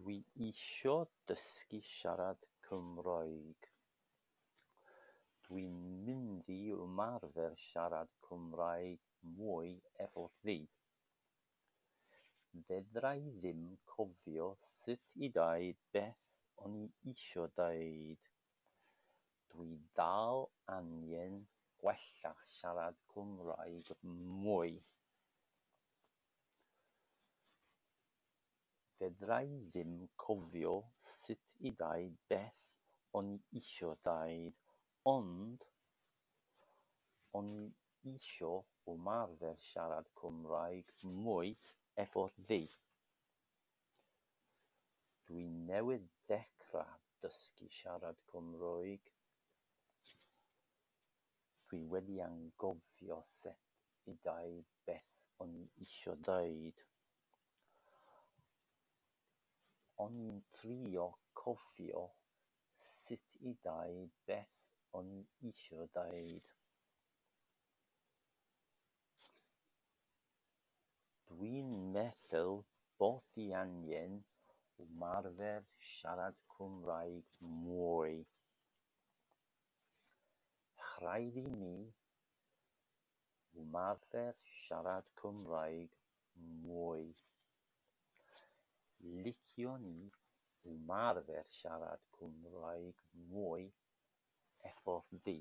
Dwi isio dysgu siarad Cymraeg. Dwi'n mynd i ymarfer siarad Cymraeg mwy efo thi. Fedra i ddim cofio sut i deud beth o'n i isio deud. Dwi dal angen gwella siarad Cymraeg mwy. Fedra i ddim cofio sut i deud beth o'n i isio deud, ond o'n i isio ymarfer siarad Cymraeg mwy efo thi. Dwi newydd ddechrau dysgu siarad Cymraeg. Dwi wedi anghofio sut i deud beth o'n i isio deud. O'n i'n trio cofio sut i deud beth o'n i isio deud. Dwi'n meddwl bo fi angen ymarfer siarad Cymraeg mwy. Rhaid i mi ymarfer siarad Cymraeg mwy. Liciwn i ymarfer siarad Cymraeg mwy efo thi.